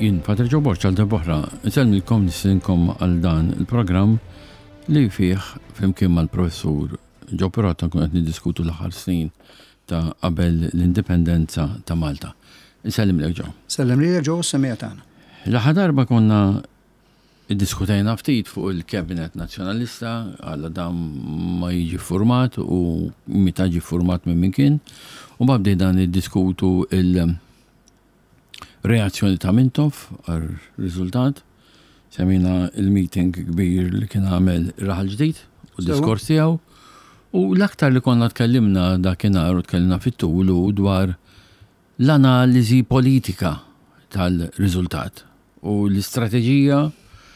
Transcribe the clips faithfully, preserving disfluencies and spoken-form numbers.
Jien Patri Joe Borg għal darb'oħra, insellmilkom, nistedinkom għal dan il-programm li fih flimkien mal-professur Joe Pirotta nkun qed niddiskutu l-aħħar snin ta' qabel l-indipendenza ta' Malta. Insellimlek, Joe. Sellem li Joe, semija tagħna. L-aħħar darba konna iddiskutejna ftit fuq il-Cabinet Nazzjonalista għalla dan ma jiġi format u meta ġi format minn min kien u ma bdejna niddiskutu il-reazzjoni ta' Mintoff għar-riżultat. Semmejna il-meeting kbir li kien għamel Raħal Ġdid u d-diskors tiegħu u l-aktar li konna tkellimna dakinhar u tkellimna fit-tul u dwar l-analiżi politika tal-riżultat u l-istrateġija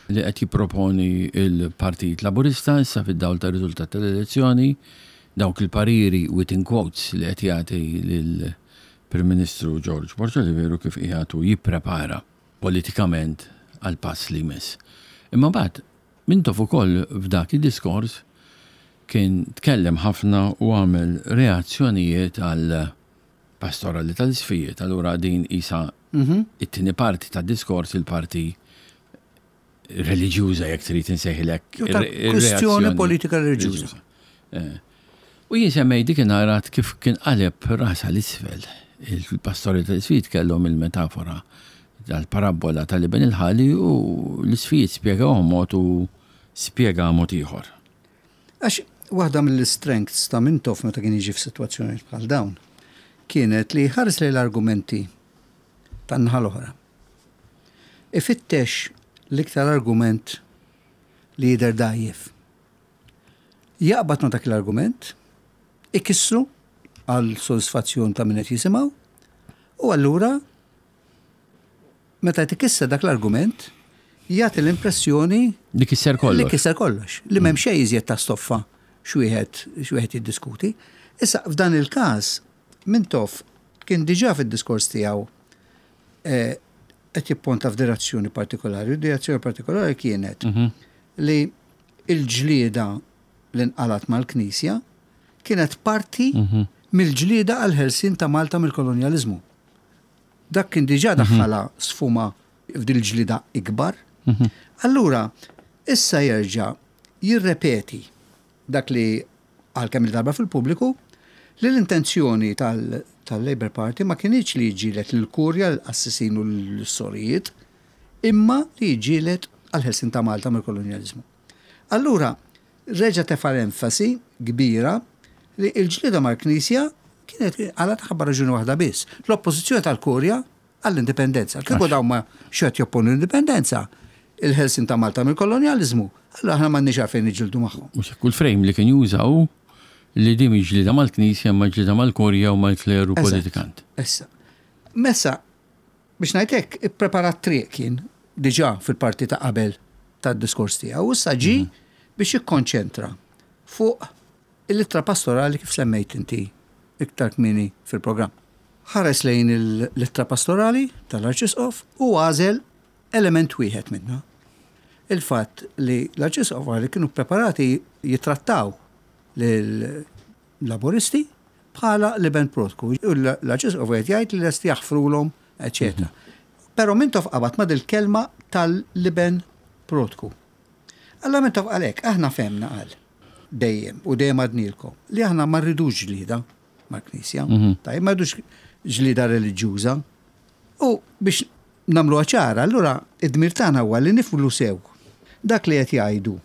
li qed jipproponi il-Partit Laburista issa fid-dawl tar-riżultat tal-elezzjoni, dawk il-pariri within quotes li qed jagħti lill-Prim Ministru George Borg Olivier kif qiegħed jipprepara politikament għal pass li jmiss. Imma mbagħad Mintoff ukoll f'dak id-diskors kien tkellem ħafna u għamel reazzjonijiet għal pastorali tal-isqfijiet. Allura din isa it-tieni parti tad-diskors, il-parti reliġjuża, jekk trid insejħilek. Kwestjoni politika reliġjuża. Eh. U jien semmej dik narat kif kien qaleb rasa l-isfel. Il-pastori tal-isqfijiet kellhom il-metafora tal-parabola tal-iben il-ħali u l-isqfijiet spjegaw mod u spjega mod ieħor. Għax waħda mill-strengths ta' Mintoff meta kien jiġi f'sitwazzjoni bħal dawn kienet li ħares lejn l-argumenti tan-naħa l-oħra. Ifittex l-iktar argument li jidher dgħajjef. Jaqbad ma dak l-argument, ikissru għal sodisfazzjon ta' min qed jisimgħu, u allura meta tikisser dak l-argument, jagħti l-impressjoni li kisser kollox. Li kisser kollox. Li m'hemm xejn iżjed ta' stoffa x'wieħed x'wieħed jiddiskuti. Issa f'dan il-każ Mintoff kien diġà fid-diskors tiegħu eh, qed jipponta f'direzzjoni partikolari. Direzzjoni partikolari kienet li il-ġlieda li nqalat mal-Knisja kienet parti mill-ġlieda għal-ħelsien ta' Malta mill-kolonjalizmu. Dak kien diġà daħħala sfuma f'dil ġlieda ikbar. Allura, issa jerġa' jirrepeti dak li għal kemm il-darba fil-pubbliku li l-intenzjoni tal- tal-Labour Party ma kienx li jġilet l-kurja, l-qassisin u l-sorijiet, imma li jġilet għal-ħelsien ta' Malta mill-kolonjalizmu. Allura, reġa tefa l-enfasi kbira li il-ġlieda mal-Knisja kienet għala taħabba raġuni waħda biss: l-oppożizzjoni tal-kurja għall-indipendenza. Kieku dawn ma xed jopponu l-indipendenza, il-ħelsien ta' Malta mill-kolonjalizmu, allura aħna m'għandniex għalfejn niġġieldu magħhom. Mhux kull frame li kien jużaw li din mhix ġlieda mal-Knisja ma ġlieda mal-Kurja u mal-kleru Eżatt. politikant. Issa. Messa, biex ngħidlek, ippreparat triq kien diġà fil-parti ta' qabel tad-diskors tiegħu, issa ġi biex jikkonċentra fuq il-ittra pastorali kif semmejt inti iktar kmieni fil-programm. Ħares lejn l-ittra pastorali tal-Arċisqof u għażel element wieħed minnha. Il-fatt li l-Arċisqof qal li kienu preparati jitrattaw l-Laboristi bħala l-iben prodku. U l-Arċisqof qed jgħid li lest jaħfrulhom, eċetera. Però Mintoff qabad ma dil-kelma tal-iben prodku. Alla Mintoff għalek, aħna femna qal dejjem u dejjem għadnilkom li aħna ma rridux ġlida mal-Knisja, tajjeb, ma rridux ġlida reliġjuża. U biex nagħmlu ċara, allura id-dmir tagħna huwa li nifhmu sew dak li qed jgħidu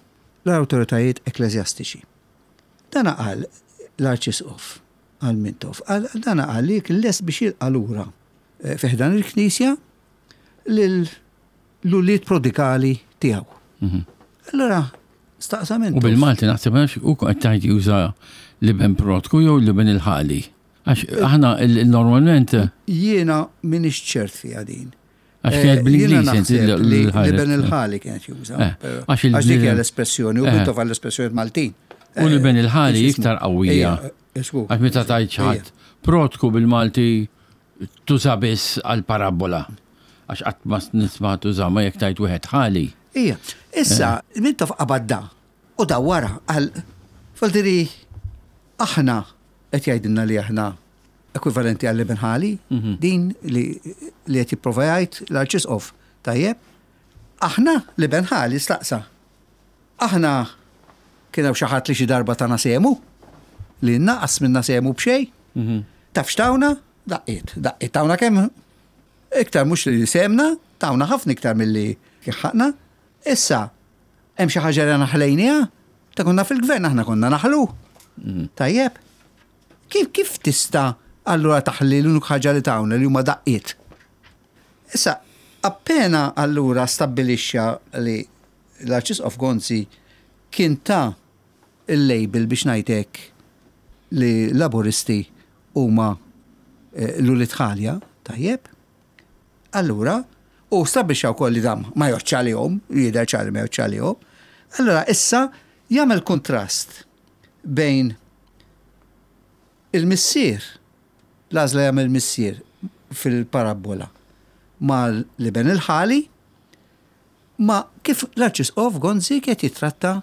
l-awtoritajiet ekkleżjastiċi. Dana qal l-Arċisqof għal Mintoff, qal dana qal li kien lest biex jilqa' lura eh, fi ħdan il-Knisja lil l-ulied prodigali tiegħu. Allura staqsa U Mintoff. bil-Malti naħseb għax u qed tgħid juża l-iben prodku jew l-iben il-ħali. Għax aħna il- il- normalment Jiena minix ċert fiha din. Għax kienet Eh, bl-Ingliż jiena inti naħseb l- li l-ħares. l-iben il-ħali kienet juża. Eh, però- għax il- Għax dik hija l-espressjoni, u Eh. Mintoff għall-espressjoni Maltin. U l-iben il-ħali Eh, iktar qawwija. Ejja, eh, żgur. Għax meta tajt xi ħadd prodku bil-Malti tuża biss għal parabola. Għax qatt ma nisma' tuża ma jekk tajt wieħed ħali. Ija, issa, Mintoff qabad da, u da wara, għal, faldiri, aħna, qed jgħidilna li aħna ekwivalenti għall-iben ħali, din li li qed jipprova jgħid l-Arċisqof. Tajjeb, aħna l-iben ħali staqsa. Aħna kien hawn xi ħadd li xi darba tana sehmu, li naqas minna sehmu b'xejn. Mhm. Taf x'tawna? Daqqiet, daqqiet tawna kemm iktar mhux li sehemna, tawna ħafna iktar milli kien ħaqna. Issa, hemm xi ħaġa li aħna ħlejniha? Ta' konna fil-gvern aħna konna naħlu. Mhm. Tajjeb. Kif kif tista' allura taħli l-unika ħaġa li tawna li huma daqqiet? Issa, appena allura stabbilixxa li l-Arċisqof Gonzi kien ta' il-label biex ngħidlek li laburisti huma eh, l-ulied ħalja, tajjeb. Allura, u stabbilixxa wkoll li dam ma jgħoddx għalihom, jidher ċar li ma jgħoddx għalihom. Allura issa jagħmel kontrast bejn il-missier, l-għażla jagħmel missier fil-parabola mal-iben il-ħali, ma kif l-Arċisqof Gonzi qed jitratta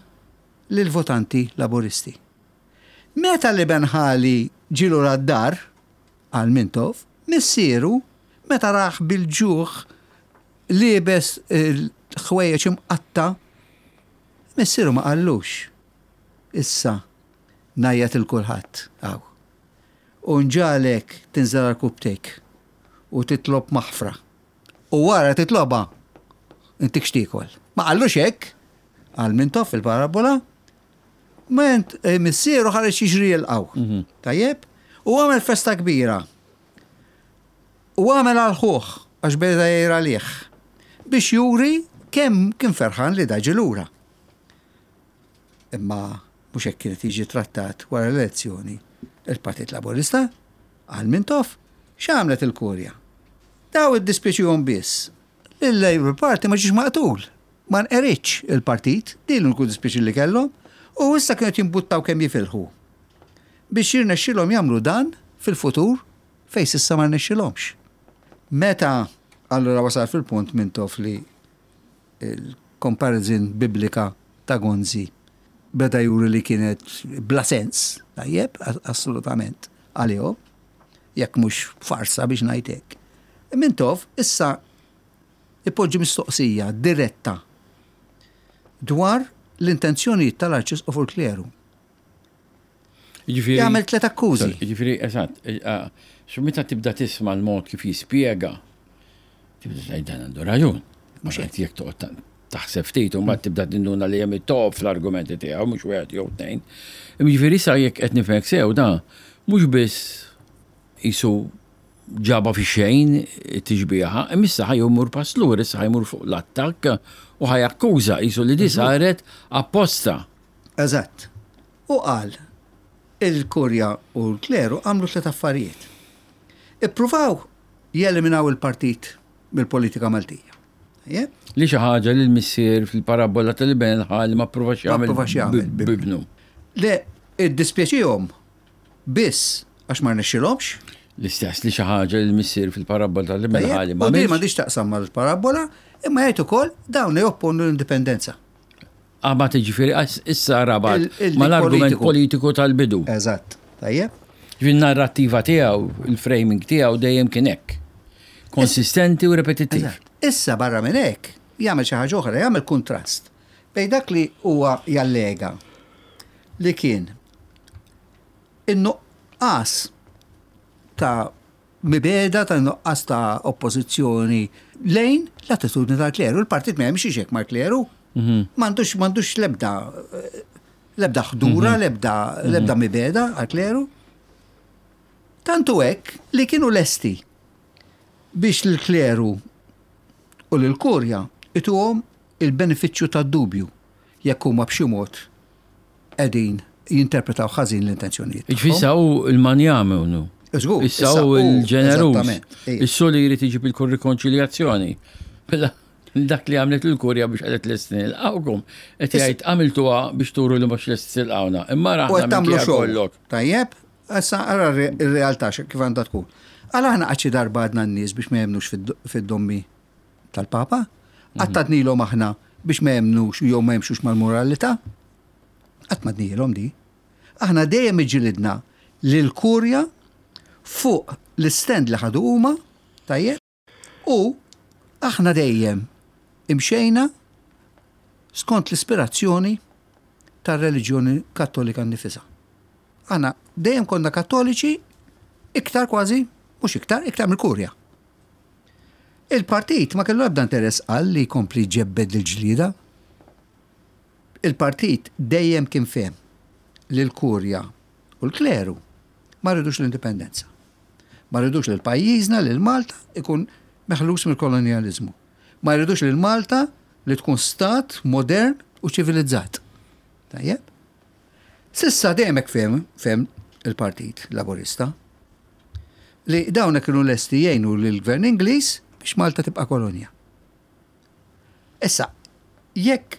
lil-votanti laburisti. Meta l-iben ħali ġie lura d-dar għal Mintoff, missieru meta rah bil-ġuħ liebes il-ħwejjeġ imqatta, missieru ma qallux. Issa ngħajjat lil kulħadd hawn. U nġagħlek tinżel għarkupptejk u titlob maħfra. U wara titlobha intik x'tiekol. Ma qallux hekk għal Mintoff fil-parabola, ment eh, missieru ħareġ jiġri jilqgħu. Mhm. Tajjeb? U għamel festa kbira. U għamel għal ħuh, għax beda jgħir għalih, biex juri kemm kien ferħan li ġie lura. Imma mhux hekk kienet jiġi trattat wara l-elezzjoni il-Partit Laburista għal Mintoff x'għamlet il-Kurja. Daw iddispjaċihom biss. Il-Labour Party ma ġiex maqtul. Ma nqeridx il-partit, din l-uniku dispjaċir li kellhom, u issa kienu jimbuttaw kemm jifilħu. Biex jirnexxilhom jagħmlu dan fil-futur fejn s'issa ma rnexxilhomx. Meta allura wasal fil-punt Mintoff li il-comparison biblika ta' Gonzi beda juri li kienet bla sens, tajjeb, assolutament, għalihom, jekk mhux farsa biex ngħidlek. Mintoff issa ipoġġi mistoqsija diretta dwar l-intenzjonijiet tal-Arċisqof u l-kleru. Jiġifieri- Jagħmel tliet akkużi. Jiġifieri, eżatt, xu meta tibda tisma' l-mod kif jispjega, tibda tgħid dan għandu raġun. Mhux qed jekk toqgħod ta- taħseb ftit u mbagħad tibda tinduna li hemm it-top fl-argumenti tiegħu mhux wieħed jew tnejn. Jiġifieri issa jekk qed nifhmek sew da mhux biss qisu ġaba fi xejn tixbiha, imma issa ħa jmur pass lura, issa ħa jmur fuq l-attakk u ħa jakkuża qisu li di saret apposta. Eżatt. U qal, il-kurja u l-kleru għamlu tliet affarijiet. Ippruvaw jeliminaw il-partit mill-politika Maltija. Tajjeb? Li xi ħaġa li l-missier fil-parabola tal-iben ħali ma provax Ma jagħmel provax jagħmel b- bibnu. Le, iddispjaċihom biss għax ma rnexxilhomx. L-istess li xi ħaġa li l-missier fil-parabola tal-iben Tajjeb? ħali ma U din għamilx. m'għandix taqsam mal-parabola, imma jgħid ukoll dawn jopponu l-indipendenza. Għabat ġifieri issa rabat Il- il- mal-argument politiku. politiku tal-bidu. Eżatt. Tajjeb? Ġifieri narrattiva tiegħu, il-framing tiegħu dejjem kien hekk. Konsistenti u repetittiv. Eżatt. Issa barra minn hekk jagħmel xi ħaġa oħra, jagħmel kuntrast bejn dak li huwa jallega li kien in-nuqqas ta' mibegħda ta' nuqqas ta' oppożizzjoni lejn l-attitudni tal-kleru. Il-partit ma jemxiex hekk mal-kleru. M'għandux m'għandux l-ebda l-ebda ħdura, l-ebda l-ebda mibegħda għal-kleru. Tantu hekk li kienu lesti biex l-kleru u l-kurja ituhom il-benefiċċju tad-dubju jekk huma b'xi mod qegħdin jinterpretaw ħażin l-intenzjonijiet. Ġifieri issa hu il-manjame unu. Żgur, Issa hu il-ġeneruż. eżattament, ejja. Issa li jrid iġib il-rikonċiljazzjoni. Mela, dak li għamlet il-kurja biex qalet lesti nilqgħukom. Qed jgħid għamiltuha biex turu li mhux lesti tilqgħuna. Imma U raħna qed tagħmlu minkejja xogħol. kollok. Tajjeb, issa ara r-realtà kif għandha tkun. Għala aħna qatt xi darba għadna n-nies biex ma jemnux fid- fid-dommi tal-Papa, qatt għadnilhom aħna biex ma jemnux jew ma jemxux mal-moralità. Qatt ma għednilhom di. Aħna dejjem iġilidna lil-kurja fuq l-stand li ħadu huma, tajjeb, u aħna dejjem imxejna skont l-ispirazzjoni tar-reliġjoni Kattolika nnifisha. Aħna dejjem konna Kattoliċi iktar kważi, mhux iktar, iktar mill-Kurja. Il-partit ma kellu ebda interess għal li jkompli jġebbed il-ġlida. Il-partit dejjem kien fehem li l-Kurja u l-kleru ma ridux l-indipendenza. Ma ridux li l-pajjiżna, li l-Malta ikun meħlus mill-kolonializmu. Ma ridux li l-Malta li tkun stat modern u ċivilizzat. Tajjeb? S'issa dejjem hekk fehem, fehem il-Partit Laburista li dawna kienu lesti jgħinu lill-gvern Ingliż biex Malta tibqa' kolonja. Issa, jekk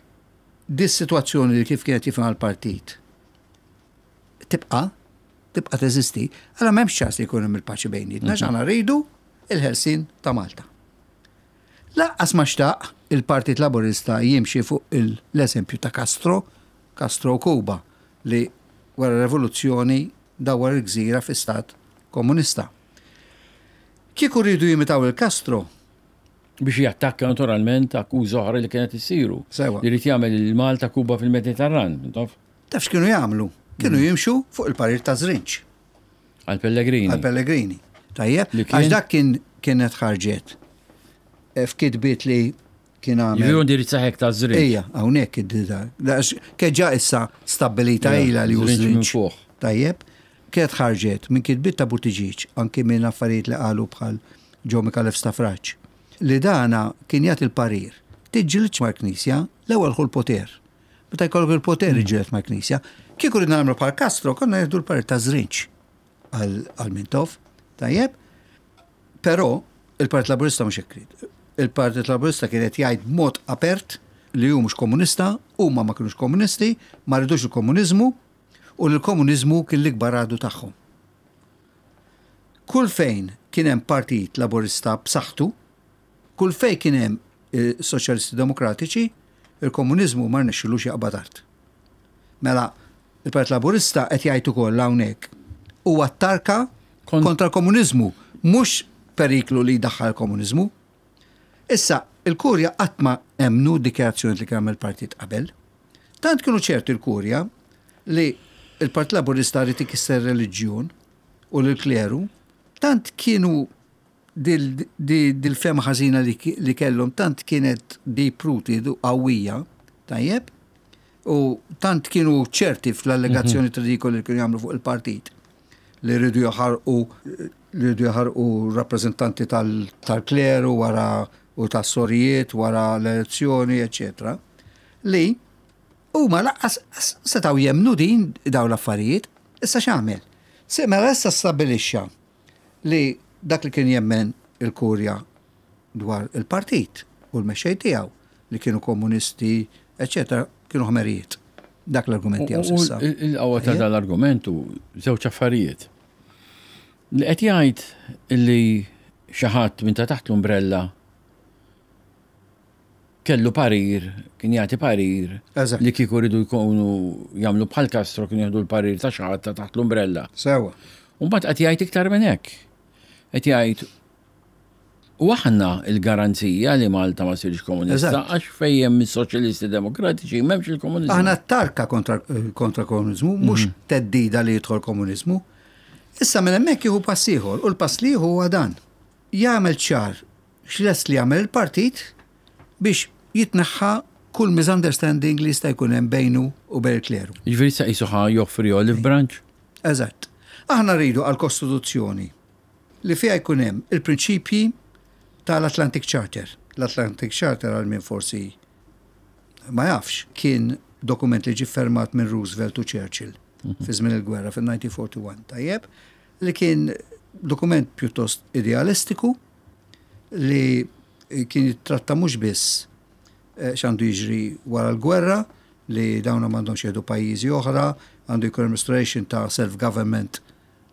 dis-sitwazzjoni li kif kienet jifhem l-partit tibqa', tibqa' teżisti, għala m'hemmx ċans li jkun hemm il-paċi bejnietna, għax aħna rridu il-ħelsien ta' Malta. Lanqas ma xtaq il-Partit Laburista jimxi fuq l-eżempju ta' Castro, Castro Kuba, li wara revoluzzjoni dawar il-gżira fi stat komunista. Kieku rridu jimitaw il-Castro, Biex jattakka naturalment akkuża oħra li kienet issiru. Sewa. Li jrid jagħmel il-Malta Kuba fil-Mediterran, taf? Taf x'kienu jagħmlu? Kienu jimxu fuq il-parir ta' Zrinċ. Għal Pellegrini. Għal Pellegrini. Tajjeb, Li kien- għax dak kien kienet ħarġet eh, f'kitbiet li kien għamel. Jiġifieri indirizza hekk ta' Zrinċ. Ejja, hawnhekk id-dida. Kien issa stabbilita Ja, ila li hu Zrinċ minn Zrinċ. fuq. Tajjeb, kienet ħarġet minn kitbiet ta' Buttigieg, anki minn affarijiet li qalu bħal Joe Micallef Stafrace. Li dana kien jagħti il-parir. Tiġġilidx mal-Knisja, l-ewwel ħu l-poter. Meta jkollok il-poter iġġieled mal-Knisja. Kieku ridna nagħmlu bħal Castro, konna jieħdu l-parir ta' Zrinċ għal Mintoff. Tajjeb, però il-Partit Laburista mhux hekk ried. Il-Partit Laburista kien qed jgħid b'mod apert li hu mhux komunista, huma ma kinux komunisti, ma ridux il-komuniżmu u li l-komuniżmu kien l-ikbar għadu tagħhom. Kull fejn kien hemm Partit Laburista b'saħħtu, kull fejn kien hemm eh, Soċjalisti Demokratiċi, il-komuniżmu ma rnexxilux jaqbad art. Mela, il-Partit Laburista qed jgħid ukoll hawnhekk huwa tarka Kon- kontra l-komuniżmu, mhux periklu li jdaħħal il-komuniżmu. Issa, il-Kurja qatt ma emmnu dikjarazzjoni li kien għamel partit qabel. Tant kienu ċerti il-Kurja li il-Partit Laburista ried ikisser reliġjon u l-kleru, tant kienu dil- di- dil-fehma ħażina li, ki- li kellhom, tant kienet deep rooted u qawwija, tajjeb, u tant kienu ċerti fl-allegazzjoni ridikoli li kienu jagħmlu fuq il-partit li rridu jaħarqu li rridu jaħarqu rappreżentanti tal- tal-kleru wara u tas-sorijiet wara l-elezzjoni, eccetera, li huma lanqas setgħu jemmnu din daw l-affarijiet, issa x'għamel? Se mela issa stabbilixxa li dak li kien jemmen il-Kurja dwar il-partit u l-mexxej tiegħu li kienu komunisti, eccetera, kienu ħmerijiet. Dak l-argument tiegħu U s'issa. il-qawwa ta' dal-argumentu żewġ affarijiet. Li qed jgħid illi xi ħadd minn ta' taħt l-umbrella kellu parir, kien jagħti parir Eżatt. li kieku rridu jkunu jagħmlu bħal Castro kienu jieħdu l-parir ta' xi ħadd ta' taħt l-umbrella. Sewa. U mbagħad qed jgħid iktar minn hekk. Qed jgħid u aħna il-garanzija li Malta ma sirx komunista Eżatt. għax fejn hemm is-soċjalisti demokratiċi m'hemmx il-komuniżmu. Aħna tarka kontra, kontra komuniżmu, mhux theddida li jidħol komuniżmu. Issa minn hemmhekk jieħu pass ieħor u l-pass li jieħu huwa dan. Jagħmel ċar x'lest li jagħmel il-partit biex jitneħħa kull misunderstanding li jista' jkun hemm bejnu u bejn il-kleru. Jiġifieri sa qisu ħa joffri olive branch. Eżatt. Aħna rridu għal-Kostituzzjoni li fiha jkun hemm il-prinċipji tal-Atlantic Charter. L-Atlantic Charter għal min forsi ma jafx kien dokument li ġi fermat minn Roosevelt u Churchill fi żmien il-gwerra fil-elf disa' mija u erbgħa u erbgħin, tajjeb, li kien dokument pjuttost idealistiku li kien jittratta mhux biss eh, x'għandu jiġri wara l-gwerra, li dawna m'għandhomx jieħdu pajjiżi oħra, għandu jkun hemm restoration ta' self-government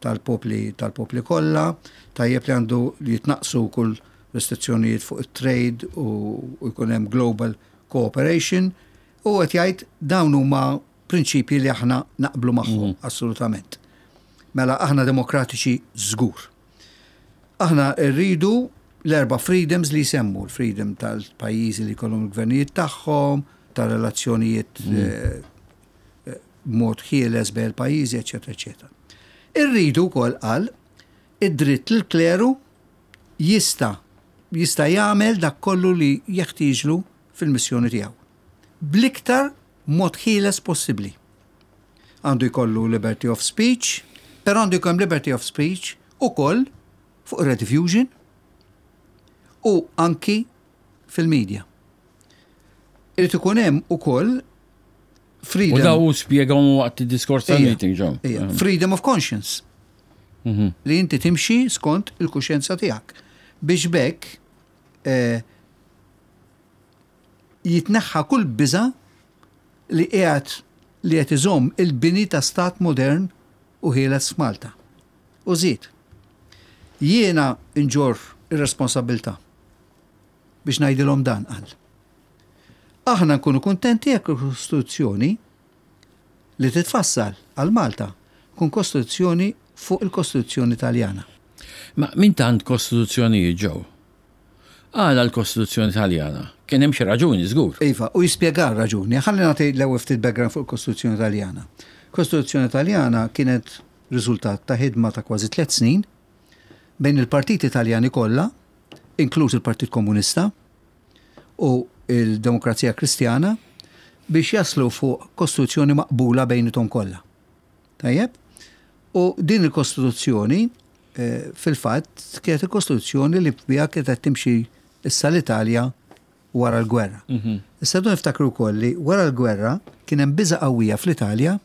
tal-popli tal-popli kollha, tajjeb li għandu li jitnaqsu kull restrizzjonijiet fuq it-trade u, u jkun hemm global cooperation u qed jgħid dawn huma prinċipji li aħna naqblu magħhom assolutament. Mela aħna demokratiċi żgur. Aħna rridu L-erba freedoms li jsemmu, l-freedom tal-pajjiżi li jkollhom il-gvernijiet tagħhom, tal-relazzjonijiet eh, eh, b'mod ħieles bejn il-pajjiżi, eċetera, eċetera. Irridu wkoll, qal, id-dritt li l-kleru jista' jista' jagħmel dak kollu li jeħtieġlu fil-missjoni tiegħu. Bl-iktar mod ħieles possibbli. Għandu jkollu liberty of speech, però għandu jkollhom liberty of speech ukoll fuq Rediffusion u anki fil-media. Irid ikun hemm ukoll freedom. U daw spjegahom waqt id-diskors tal-meeting ġo. Ija, freedom of conscience. Mhm. Li inti timxi skont il-kuxjenza tiegħek. Biex bekk eh, jitneħħa kull biża li qiegħed li qed iżomm il-bini ta' stat modern u ħieles f'Malta. U żied, jiena nġorr ir-responsabilità biex ngħidilhom dan, qal. Aħna nkunu kuntenti jekk il-Kostituzzjoni li titfassal għal Malta tkun kostituzzjoni fuq il-Kostituzzjoni Taljana. Ma min tant kostituzzjonijiet ġew? Għala l-Kostituzzjoni Taljana? Kien hemm xi raġuni żgur. Iva, u jispjega raġuni. Ħalli nagħti l-ewwel ftit background fuq il-Kostituzzjoni Taljana. Kostituzzjoni Taljana kienet riżultat ta' ħidma ta' kważi tliet snin bejn il-partiti Taljani kollha, inkluż il-Partit Komunista u il-Demokrazija Kristjana, biex jaslu fuq kostituzzjoni maqbula bejnithom kollha. Tajjeb? U din il-kostituzzjoni eh, fil-fatt kienet il-kostituzzjoni li biha kienet timxi issa l-Italja wara l-gwerra. Mhm. Issa dun niftakru wkoll li wara l-gwerra kien hemm biża qawwija fl-Italja,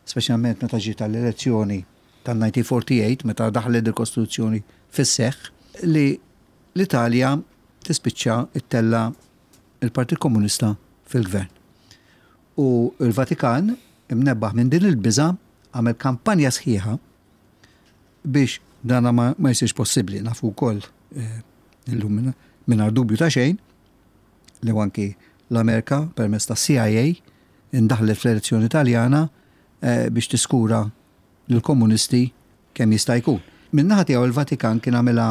speċjalment meta ġiet tal-elezzjoni tal-elf disa' mija u erbgħa u erbgħin, meta daħlet il-Kostituzzjoni fis-seħħ, li l-Italja tispiċċa ittella il-Partit Komunista fil-gvern. U il-Vatikan, imnebbaħ minn din il-biża, għamel kampanja sħiħa biex dana ma, ma jsirx possibbli. Nafu wkoll eh, illum mingħajr dubju ta' xejn li anki l-Amerika permezz ta' C I A indaħlet fl-elezzjoni Taljana eh, biex tiskura l-komunisti kemm jista' jkun. Min-naħa tiegħu il-Vatikan kien għamilha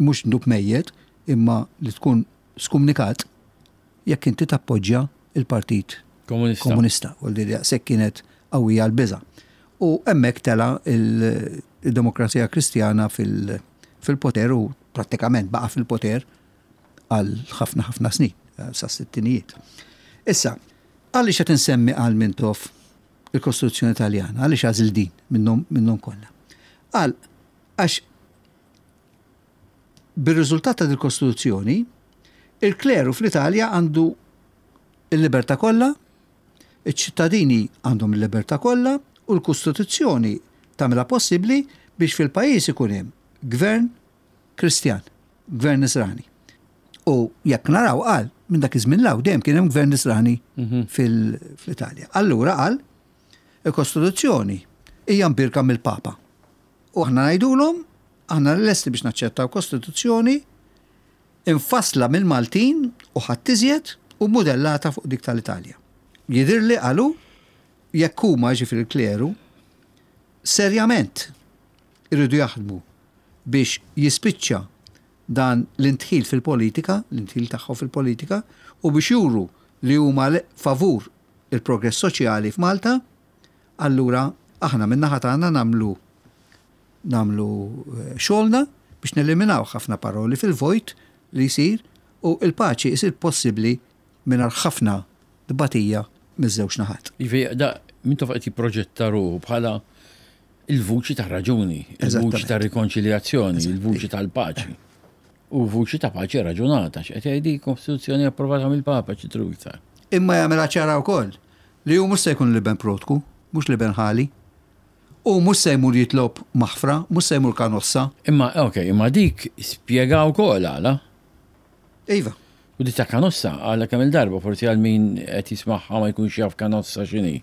mhux dnub mejjet, imma li tkun skumnikat jekk inti tappoġġja il-Partit Komunista. Komunista. U li daqshekk kienet qawwija l-biża. U hemmhekk tela il-Demokrazija Kristjana fil- fil-poter u prattikament baqa' fil-poter għal ħafna ħafna snin, sa sittinijiet. Issa, għaliex qed insemmi, għal Mintoff, il-Kostituzzjoni Taljana, għaliex għażil din minnhom minnhom kollha? Għal għax bir-riżultat ta' il-Kostituzzjoni, il-kleru fl-Italja għandu il-libertà kollha, iċ-ċittadini għandhom il-libertà kollha u l-Kostituzzjoni tagħmilha possibbli biex fil-pajjiż ikun hemm gvern Kristjan, gvern Nisrani. U jekk naraw, qal, minn dak iż-żmien 'l hawn dejjem kien hemm gvern Nisrani fil- fl-Italja. Allura, qal, il-Kostituzzjoni hija mbirka mill-Papa. U aħna ngħidulhom aħna lesti biex naċċettaw Kostituzzjoni infassla mill-Maltin u ħadd iżjed u modellata fuq dik tal-Italja. Jidirli, qalu, jekk huma, ġifieri il-kleru, serjament irridu jaħdmu biex jispiċċa dan l-indħil fil-politika, l-indħil tagħhom fil-politika, u biex juru li huma le- favur il-progress soċjali f'Malta, allura aħna min-naħa tagħna nagħmlu nagħmlu eh, xogħolna biex neliminaw ħafna paroli fil-vojt li jsir u il-paċi jsir possibbli mingħajr ħafna tbatija miż-żewġ naħat. Jiġifieri, da, Mintoff qed jipproġetta ruħu bħala il-vuċi ta' raġuni, il-vuċi Eżattament. ta' rikonċiljazzjoni, il-vuċi tal-paċi. U vuċi ta' paċi raġunata, x'qed jgħidi, kostituzzjoni approvata mill-Papa, ċitru iktar. Imma jagħmilha ċara wkoll li hu mhux se jkun l-iben protku, mhux l-iben ħali. U mhux se jmur jitlob maħfra, mhux se jmur Kanossa. Imma, ok, imma dik spjega wkoll għala. Iva. U di ta' Kanossa, għala kemm il-darba, forsi għal min qed jismagħha ma jkunx jaf Kanossa x'inhi.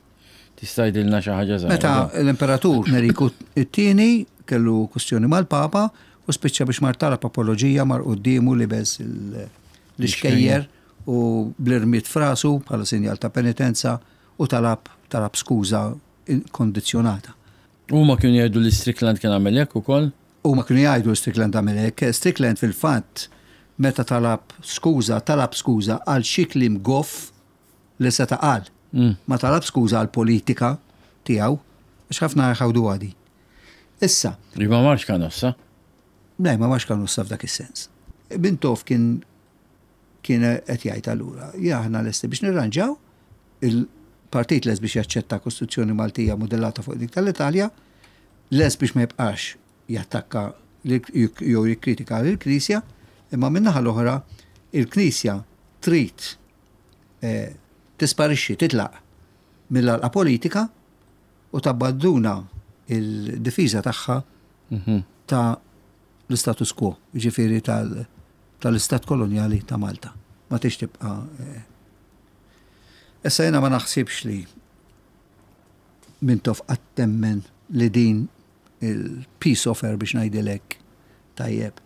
Tista' jgħidilna xi ħaġa żgħira. Meta l-imperatur Neriku it-tieni kellu kwestjoni mal-Papa u spiċċa biex mar talab apoloġija, mar quddiemu libes il- l-ixkejjer u bl-irmied f'rasu bħala sinjal ta' penitenza u talab talab skuża kondizjonata. Huma kienu jgħidu li Strickland kien għamel hekk ukoll? U ma kienu jgħidu Strickland għamel hekk. Strickland fil-fatt meta talab skuża, talab skuża għal xi kliem goff li seta' qal. Mm. Ma talab skuża għal politika tiegħu, għax ħafna jħawdu għadi. Issa, Li ma marx Canossa. Le, ma marx Canossa f'dak is-sens. Mintoff kien kien qed jgħid allura, ja aħna lesti biex nirranġaw, il-partit lest biex jaċċetta Kostituzzjoni Maltija modellata fuq dik tal-Italja, lest biex ma jibqax jattakka lil- jew jikkritika lill-Knisja, imma min-naħa l-oħra il-Knisja trid eh, tisparixxi, titlaq mill-għalqa politika u tabbanduna il-difiża tagħha Mhm. ta' l-status quo, ġifieri tal- tal-istat koloniali ta' Malta. Ma tix tibqa. eh. Issa jena ma naħsibx li Mintoff qatt emmen li din il-peace offer, biex ngħidilek tajjeb,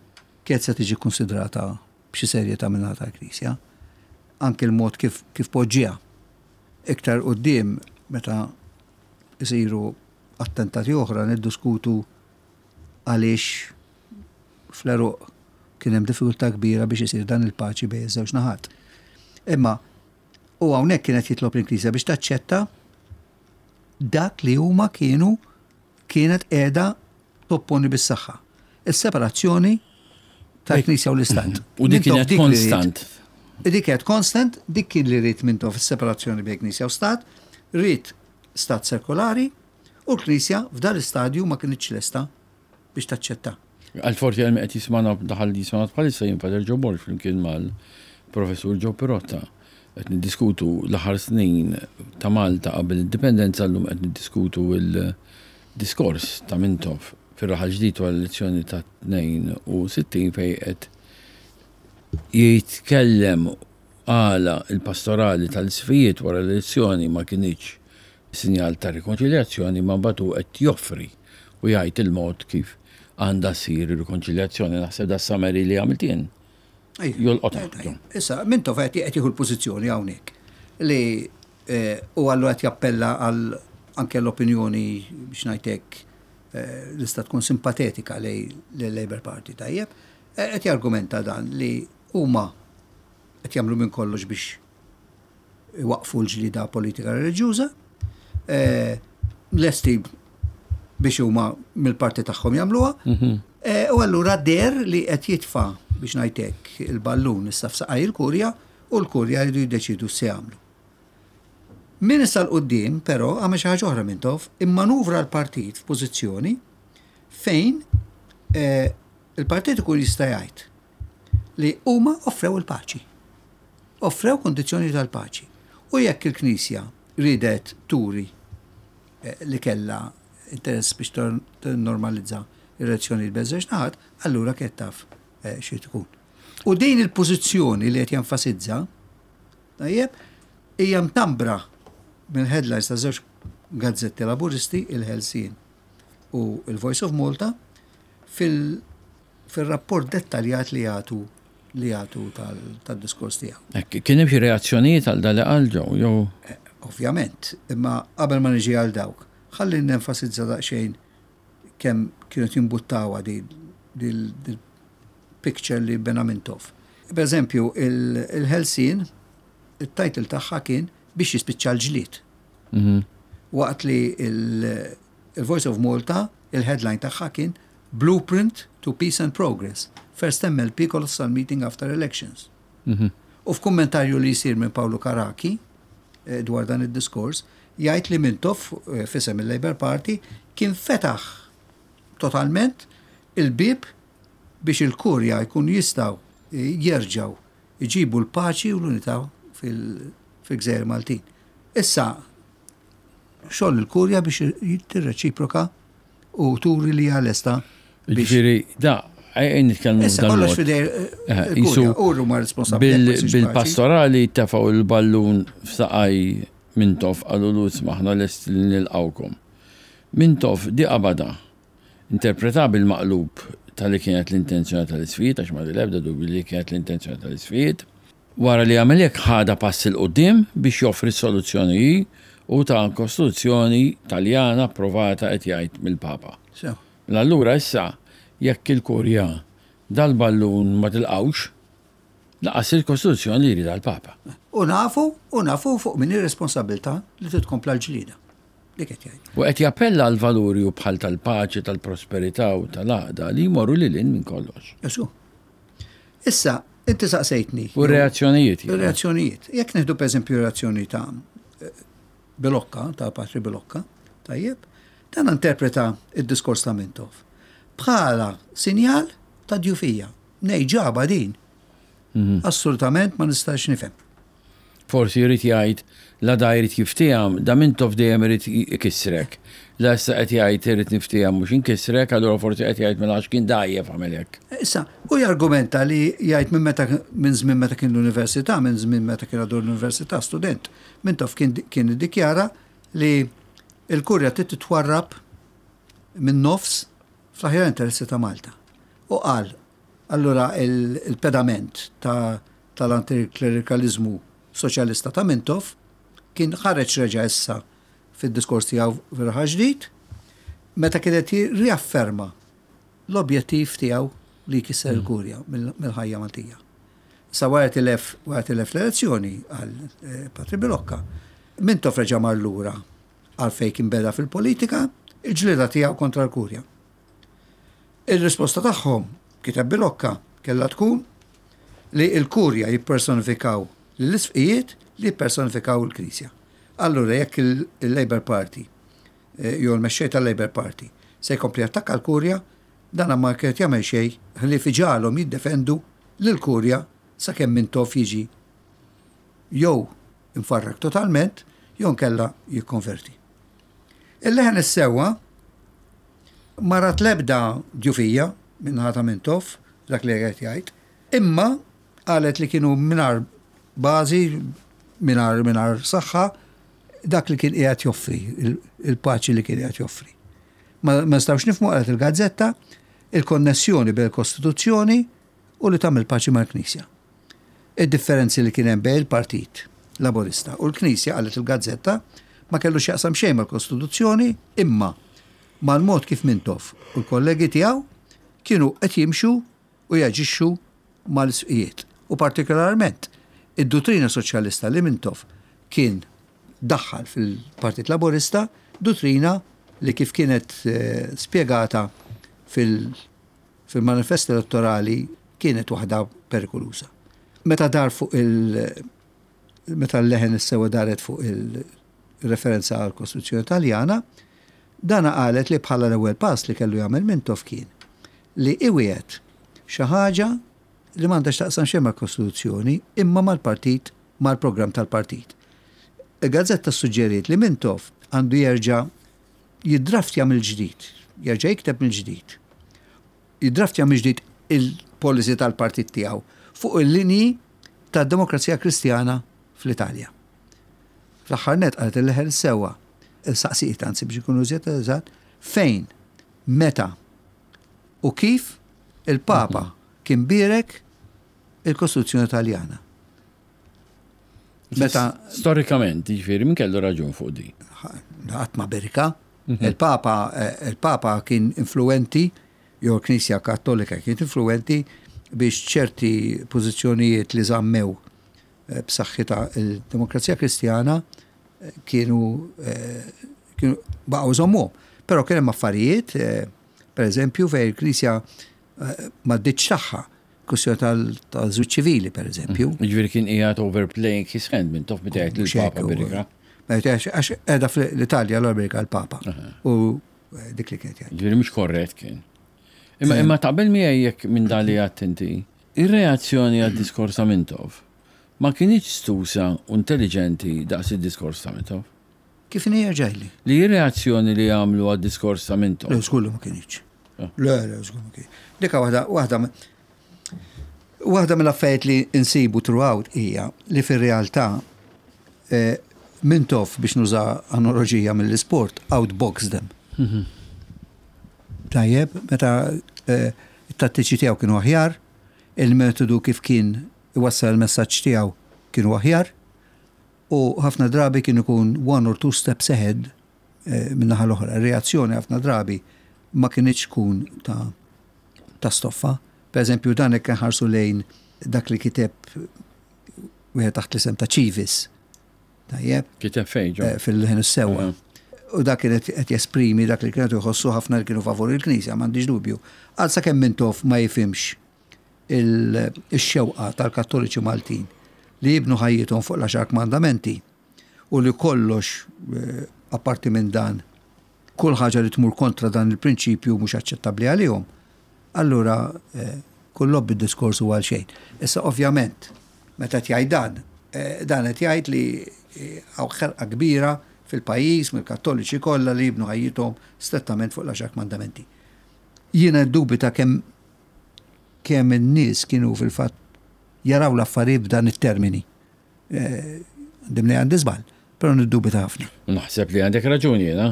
kienet se tiġi konsidrata b'xi serjetà minn tal-Knisja. Anke l-mod kif, kif poġġiha. Iktar quddiem, meta isiru attentati oħra, niddiskutu għaliex fl-għeruq kien hemm diffikultà kbira biex isir dan il-paċi bejn iż-żewġ naħat. Imma u hawnhekk kienet jitlob il-Knisja biex taċċetta dak li huma kienu kienet qiegħda topponi bis-saħħa. Is-separazzjoni tal-Knisja u l-Istat. U dik Mintoff kienet dik li ried. konstant. Dik kienet konstant, dik kien li ried Mintoff, fis-separazzjoni bejn Knisja u Stat, ried stat sekolari u l-Knisja f'dan l-istadju ma kienx lesta biex taċċetta. Għal forsi għal qed jismana, daħal jismana bħalissa, jien Pater Joe Borg flimkien mal-professur Joe Pirotta. Qed niddiskutu l-aħħar snin ta' Malta qabel l-indipendenza. Llum qed niddiskutu il-diskors ta' Mintoff fir-Raħal Ġdid wara l-elezzjoni ta' tnejn u sittin, fejn qed jitkellem għala il-pastorali tal-isqfijiet wara l-elezzjoni ma kinitx sinjal ta' rikonċiljazzjoni, ma batu qed joffri u jgħid il-mod kif għandha ssir ir-rikonċiljazzjoni. Naħseb da summary li għamilt jien. Jolqotha. Issa, Mintoff qed qed jieħu l-pożizzjoni hawnhekk li eh, u għallu qed jappella għal anke l-opinjoni, biex ngħidlek, eh, lista tkun simpatetika lej l-Labour Party, tajjeb, eh, qed jargumenta dan li huma qed jagħmlu minn kollox biex iwaqfu l-ġlida politika reliġjuża, eh, lesti biex huma mill-parti tagħhom jagħmluha. Eh, U allura der li qed jitfa', biex ngħidlek, il-ballun issa f'saqaj il-kurja u l-kurja jridu jiddeċidu se jagħmlu. Min issa 'l quddiem però għamel xi ħaġa oħra Mintoff, immanuvra l-partit f'pożizzjoni fejn eh, il-partit ikun jista' jgħid li huma offrew il-paċi. Offrew kondizzjoni tal-paċi. U jekk il-Knisja ridet turi eh, li kella interess biex tor- normalizza ir-relazzjoni bejn żewġ naħat, allura kienet taf eh, xi tkun. U din il-pożizzjoni li qed jenfasizza, tajjeb, hija mtambra mill-headlines ta' żewġ gazzetti laburisti, il-Ħelsien u il-Voice of Malta, fil- fil-rapport dettaljat li jagħtu li jagħtu tal- tal-diskors tiegħu. Hekk, kien hemm xi reazzjonijiet għal dan li qal Joe, jew? Eh, Ovvjament, imma qabel ma niġi għal dawk, ħalli nenfasizza daqsxejn kemm kienu jimbuttawa di dil picture li bena Mintoff. Per eżempju, il-Ħelsien, il-title tagħha kien "Biex jispiċċa l-ġlied". Mhm. Waqt li il- il-Voice of Malta, il-headline tagħha kien "Blueprint to Peace and Progress. First M L P Colossal Meeting After Elections". Mhm. U f'kummentarju li jisir minn Paolo Caracchi eh, dwar dan id-diskors, jgħid li Mintoff, eh, f'isem il-Labour Party, kien fetaħ totalment il-bib biex il-kurja jkun jistaw eh, jerġaw iġibu l-paċi u l-unità fil- fil-gżejjer Maltin. Issa, xogħol il-kurja biex tirreċiproka u turi li għal-esta biex. Ġifieri, da, għajn nitkellmu Issa f'dan kollox mod. fidej Eh, il-kurja, jisu u huma responsabbli bil- jekk ma jsirx paċi. Bil-pastorali tefgħu il-ballun f'saqaj Mintoff, qallu lu aħna lest li nilqawkom. Mintoff di qabada, interpreta bil-maqlub tal-li kienet l-intenzjoni tal-isqfijiet, għax ma l-ebda dubju li kienet l-intenzjoni tal-isqfijiet. Wara li għamel hekk ħada pass 'il quddiem biex joffri soluzzjoni u ta' kostituzzjoni Taljana approvata, qed jgħid, mill-Papa. So, Mela allura issa Jekk il-Kurja dal-ballun ma tilqawx, lanqas il-Kostituzzjoni li jrid l-Papa. U nafu, u nafu fuq min ir-responsabilità li titkompla l-ġlida. Dik qed jgħid. U qed jappella għal valuri u bħal tal-paċi, tal-prosperità u tal-għaqda li jmorru lil hinn minn kollox. Jesu. Issa, inti saqsejtni. U reazzjonijiet. Reazzjonijiet. Jekk nieħdu per eżempju reazzjoni ta' Bilocca, ta' Patri Bilocca, tajjeb, dan interpreta id-diskors ta' Mintoff. Bħala sinjal ta' djufija. Nej ġaba din. Mhm. Assolutament ma nistax nifhem. Forsi jrid jgħid la da jrid jiftiham, da Mintoff dejjem irid ikissrek. La issa qed jgħid irid niftiham mhux inkissrek, allura forsi qed jgħid mela għax kien dgħajjef għamel hekk. Issa, u jargumenta li jgħid minn meta minn żmien meta kien l-università, minn żmien meta kien għadu l-università student, Mintoff kien kien iddikjara li il-kurja trid titwarrab minn nofs fl-aħjar interessi ta' Malta. U qal, allura il-pedament ta' tal-antiklerikalizmu soċjalista ta' Mintoff kien ħareġ reġa' issa fid-diskors tiegħu fir-Raħal Ġdid, meta kienet riafferma l-objettiv tiegħu li jkisser il-kurja mill-ħajja Maltija. Sa wara tilef wara tilef l-elezzjoni għal eh, Patri Bilocca, Mintoff reġa' mar lura għal fejn kien beda fil-politika, il-ġlieda tiegħu kontra l-kurja. Il-risposta tagħhom, kiteb Bilocca, kellha tkun li l-kurja jippersonifikaw l-isqfijiet li jippersonifikaw il-Knisja. Allura jekk il-Labour Party eh, jew l-mexxej tal-Labour Party se jkompli attakka l-kurja, dan ma kienet jagħmel xejn ħlief iġagħalhom jiddefendu lill-kurja sakemm Mintoff jiġi jew imfarrak totalment jew nkella jikkonverti. Il-Leħen is-Sewwa ma rat lebda djufija min-naħa ta' Mintoff, dak li qed jgħid, imma qalet li kienu mingħajr bażi, mingħajr mingħajr saħħa, dak li kien qiegħed joffri, il-paċi li kien qiegħed joffri. Ma nistgħux nifhmu, qalet il-gazzetta, il-konnessjoni bejn il-Kostituzzjoni u li tagħmel paċi mal-Knisja. Id-differenzi li kien hemm bejn il-Partit Laburista u l-Knisja, qalet il-gazzetta, ma kellu x'jaqsam xejn mal-Kostituzzjoni, imma mal-mod kif Mintoff u l-kollegi tiegħu kienu qed jimxu u jaġixxu mal-isqfijiet. U partikolarment id-dottrina soċjalista li Mintoff kien daħħal fil-Partit Laburista, dottrina li kif kienet eh, spiegata fil-manifest elettorali kienet waħda perikolusa. Meta dar fuq il- meta l-Leħen is-Sewwa daret fuq il-referenza għal Kostituzzjoni Taljana, dana qalet li bħala l-ewwel pass li kellu jagħmel Mintoff kien li iwiegħed xi ħaġa li m'għandax taqsam xejn mal-Kostituzzjoni imma mal-partit, mal-programm tal-partit. Il-gazzetta suġġeriet li Mintoff għandu jerġa' jiddraftja mill-ġdid, jerġa' jikteb mill-ġdid. Jiddraftja mill-ġdid il-policy tal-partit tiegħu fuq il-linji tad-Demokrazija Kristjana fl-Italja. Fl-aħħar net qalet il-Leħen Sewwa, il-saqsijiet anzi biex ikunu żjed eżatt, fejn, meta u kif il-Papa kien birek il-Kostituzzjoni Taljana. Meta storikament, jiġifieri min kellu raġun fuq di? Qatt ma berika. Il-Papa il-Papa kien influenti, jew l-Knisja Kattolika kienet influenti biex ċerti pożizzjonijiet li żammew b'saħħitha il-Demokrazija Kristjana kienu kienu baqgħu żommuhom. Però kien hemm affarijiet, per eżempju, fejn il-Knisja ma ddietx tagħha, kwestjoni tal-żwieġ ċivili, per eżempju. Jiġifieri kien qiegħed overplaying his hand Mintoff meta jgħid lill-Papa berika. Għax qiegħda fl-Italja l-Amerika l-Papa. U dik li kienet jgħid. Jiġifieri mhux korrett kien. Imma imma taqbel miegħi jekk minn dan li għedt inti, ir-reazzjoni għad-diskors ta' Mintoff ma kinitx stusa u intelligenti daqs id-diskors ta' Mintoff. Kif inhi ġajli? Li ir-reazzjoni li għamlu għad-diskors ta' Mintoff. Le, żgur ma kinitx. Le, le, żgur ma kinitx. Dika waħda, waħda waħda mill-affarijiet li insibu throughout hija li fir-realtà Mintoff, biex nuża analogija mill-isport, outbox them. Tajjeb, meta it-tattiċi tiegħu kienu aħjar, il-metodu kif kien iwassal il-messaġġ tiegħu kienu aħjar, u ħafna drabi kien ikun one or two steps ahead min-naħa l-oħra. Reazzjoni ħafna drabi ma kinitx tkun ta' ta' stoffa. Per eżempju, dan hekk nħarsu lejn dak li kiteb wieħed taħt l-isem ta' Civis. Tajjeb. Kiteb fejn ġo? Eh, fil-Leħen is-Sewwa. U dak kien qed jesprimi dak li kienet jħossu ħafna li kienu favur il-Knisja, m'għandix dubju. Għal sakemm Mintoff ma jifhimx il-xewqa tal-Kattoliċi Maltin li jibnu ħajjithom fuq l-għaxar kmandamenti u li kollox eh, apparti minn dan kull ħaġa li tmur kontra dan il-prinċipju mhux aċċettabbli għalihom. Allura eh, kull lobby diskors huwa għal xejn. Issa ovvjament meta jgħid dan, eh, dan qed jgħid li hawn ħerqa kbira fil-pajjiż mill-Kattoliċi kollha li jibnu ħajjithom strettament fuq l-għaxar kmandamenti. Jiena dubita kemm kemm in-nies kienu fil-fatt jaraw l-affarijiet b'dan it-termini. Dimni għandi żball, però niddubita ħafna. Naħseb li għandek raġuni jiena.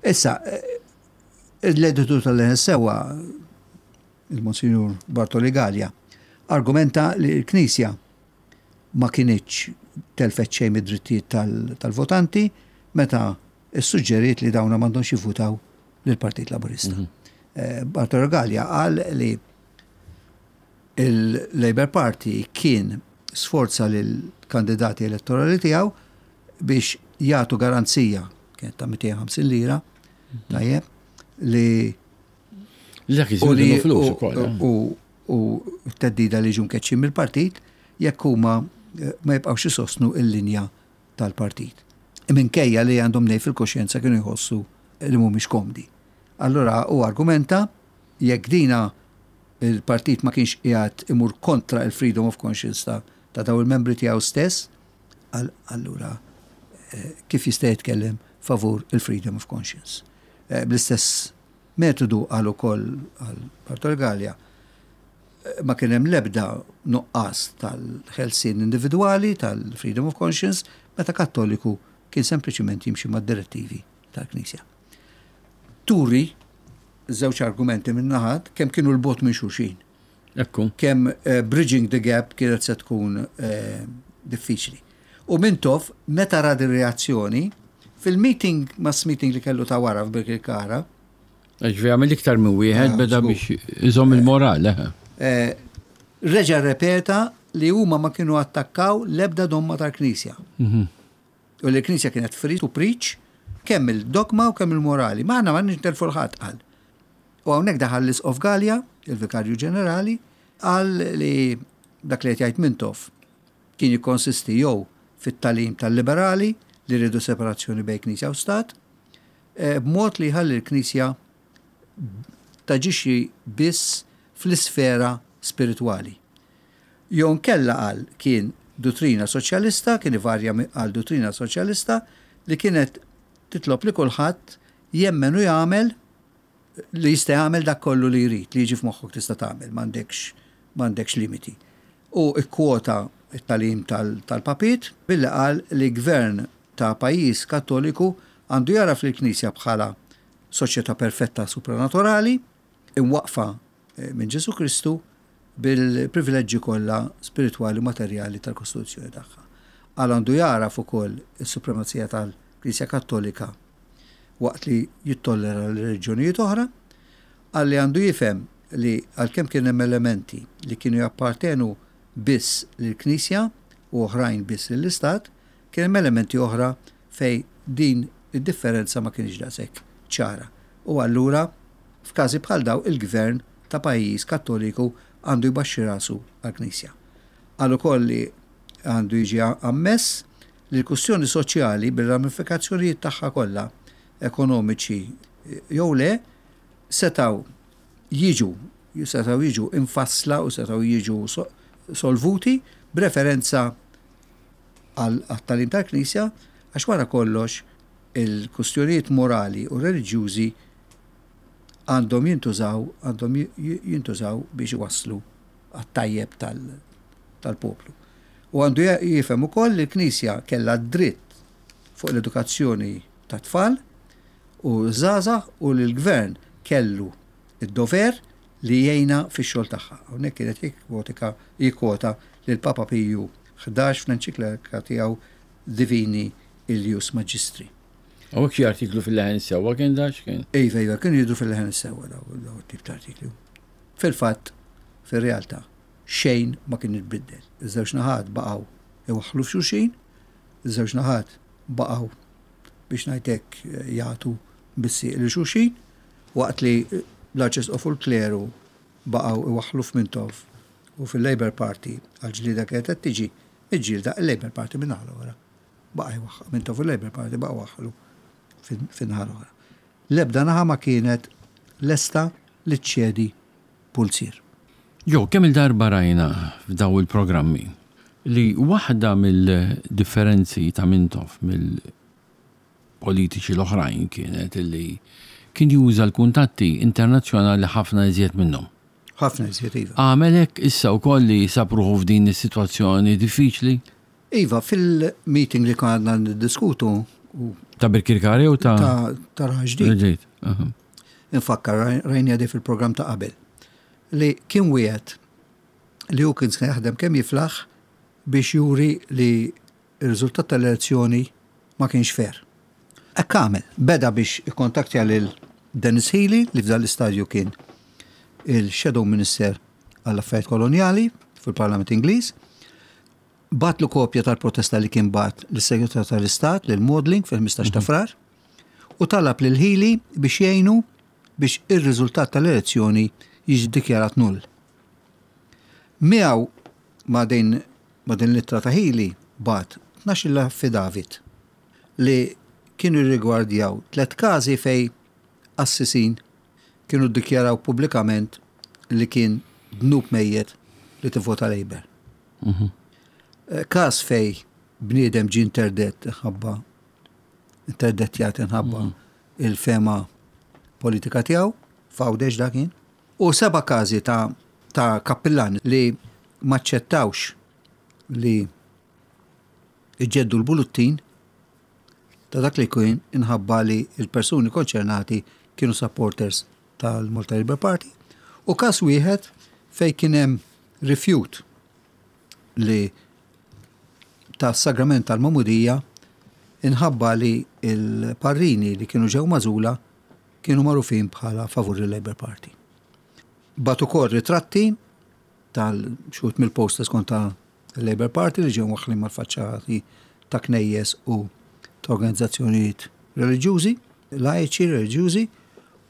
Issa, l-editur tal-Leħen is-Sewwa, il-Monsinjur Bartoli Galea, argumenta li l-Knisja ma kinitx telfet xejn mid-drittijiet tal-votanti meta issuġġeriet li dawna m'għandhomx jivvutaw lill-Partit Laburista. Bartolo Galea qal li il-Labour Party kien sforza lill-kandidati elettorali tiegħu biex jagħtu garanzija kienet ta' mitejn u ħamsin lira, tajjeb, li Dak iż-żmien kienu flus ukoll. eh? u u t-theddida li ġu mkeċċin mill-partit jekk huma eh, ma jibqgħux isostnu il-linja tal-partit. Minkejja li għandhom nej fil-koxjenza kienu jħossu li mhumiex komdi. Allura u argumenta jekk dina il-partit ma kienx qiegħed imur kontra il-freedom of conscience ta' ta' daw il-membri tiegħu stess, allura eh, kif jista' jitkellem favur il-freedom of conscience? Eh, Bl-istess metodu għal ukoll għal Bartol Galea eh, ma kien hemm l-ebda nuqqas tal-ħelsien individwali, tal-freedom of conscience, meta Kattoliku kien sempliċiment jimxi mad-direttivi tal-Knisja. Turi, żewġ argumenti minn naħat, kemm kienu 'l bogħod minn xulxin. Ekku. Kemm uh, bridging the gap kienet se tkun uh, diffiċli. U Mintoff, meta ra reazzjoni, fil-meeting, mass meeting li kellu ta' wara f'Birkirkara, Ġifieri għamil iktar minn wieħed Ah, beda żgur. biex iżomm il-moral, eh. eh, reġa repeta li huma ma kienu attakkaw l-ebda domma tal-Knisja. Mhm. U li l-Knisja kienet free to preach kemm il-dogma u kemm il-morali. Ma aħna ma nintelfu l-ħadd qal. U hawnhekk daħal l-Isqof Galea, il-Vikarju Ġenerali, qal li dak li qed jgħid Mintoff kien jikkonsisti jew fit-tagħlim tal-liberali li rridu separazzjoni bejn Knisja u Stat, eh, b'mod li jħalli l-Knisja taġixxi biss fl-isfera spiritwali. Jew inkella qal kien dottrina soċjalista, kien ivarja għal dottrina soċjalista li kienet titlob li kulħadd jemmen u jagħmel li jista' jagħmel dak kollu li jrid, li jiġi f'moħħok tista' tagħmel, m'għandekx m'għandekx limiti. U ikkwota it-tagħlim tal-papiet billi qal li gvern ta' pajjiż Kattoliku għandu jara fil-Knisja bħala soċjetà perfetta supranaturali, imwaqfa eh, minn Ġesu Kristu bil-privileġġi kollha spiritwali u materjali tal-Kostituzzjoni tagħha. Għal għandu jaraf ukoll is-supremazija tal-Knisja Kattolika waqt li jittollera l-reliġjonijiet oħra, għal li għandu jifhem li għalkemm kien hemm elementi li kienu jappartenu biss lill-Knisja u oħrajn biss lill-Istat, kien hemm elementi oħra fej din id-differenza ma kienx daqshekk ċara. U allura f'każi bħal daw il-gvern ta' pajjiż Kattoliku għandu jbaxxi rasu għall-Knisja. Għal ukoll li għandu jiġi ammess li l-kwistjoni soċjali bil-ramifikazzjonijiet tagħha kollha ekonomiċi jew le setaw jiġu setaw jiġu infassla u setaw jiġu solvuti b'referenza għat-tagħlim tal-Knisja, għax wara kollox il-kustjonijiet morali u reliġjużi għandhom jintużaw għandhom jintużaw biex iwasslu għat-tajjeb tal-poplu. U għandu jifhem ukoll li l-Knisja kellha dritt fuq l-edukazzjoni ta' tfal u żgħażagħ u li l-gvern kellu id-dover li jgħinha fix-xogħol tagħha. Hawnhekk kienet jikkwota jikkwota lil Papa Piju ħdax fl-enċiklika tiegħu Divini Illius Magistri. Hawnhekk xi artiklu fil-Leħen is-Sewwa kien da x'kien? Iva, iva, kienu jidhru fil-Leħen is-Sewwa daw tip ta' artiklu. Fil-fatt, fil-realtà, xejn ma kien itbiddel. Iż-żewġ naħat baqgħu iwaħħlu f'xulxin, iż-żewġ naħat baqgħu, biex ngħidlek, jagħtu bis-sieq lil xulxin, waqt li l-Arċisqof u l-kleru baqgħu iwaħħlu f'Mintoff u fil-Labour Party għal-ġlida kienet qed tiġi miġġielda. Il-Labour Party minn naħa l-oħra. Baqa' jwaħħal, Mintoff u l-Labour Party baqgħu waħħlu fin-naħa l-oħra. L-ebda naħa ma kienet lesta li ċċedi pulzier. Jo, kemm il-darba rajna f'daw il-programmi li waħda mill-differenzi ta' Mintoff mill-politiċi l-oħrajn kienet li kien juża l-kuntatti internazzjonali ħafna iżjed minnhom. Ħafna iżjed, iva. Għamel hekk issa wkoll li sab ruħu f'din is-sitwazzjoni diffiċli? Iva, fil-meeting li konna niddiskutu u Ta' Birkirkara u ta' ta' ta' Raħal Ġdid. Ġdid. Aha. Infakkar, rajna di fil-programm ta' qabel, li kien wieħed li hu kien se jaħdem kemm jiflaħ biex juri li r-riżultat tal-elezzjoni ma kienx fair. Hekk għamel, beda biex ikkontaktja lil Denis Healey, li f'dan l-istadju kien il-Shadow Minister għall-Affarijiet Koloniali fil-Parlament Ingliż, bagħatlu kopja tal-protesta li kien bagħat lis-Segretarju tal-Istat, lil Maudling, fil-ħmistax ta' Frar, u talab lil Healey biex jgħinu biex ir-riżultat tal-elezzjoni jiġi dikjarat null. Miegħu ma' din ma' din l-ittra ta' Healey bagħat tnax-il affidavit li kienu jirrigwardjaw tliet każi fej assisin kienu ddikjaraw pubblikament li kien dnub mejjet li tivvota Labour. Mhm. Eh, Każ fej bniedem ġi interdett ħabba interdettjat inħabba il-fehma politika tiegħu, f'Għawdex dak kien. U seba' każi ta' ta' kappillani li maċċettawx li iġeddu l-bullettin ta' dak li kien inħabba li il-persuni konċernati kienu supporters tal-Malta Labour Party, u każ wieħed fej kien hemm rifjut li ta' sagrament tal-Magħmudija inħabba li il-parrini li kienu ġew magħżula kienu magħrufin bħala favur il-Labour Party. Bagħat ukoll ritratti tal-xut mill-posters kontra il-Labour Party li ġew waħlin mal-faċċati ta' knejjes u ta' organizzazzjonijiet reliġjużi, laiċi reliġjużi,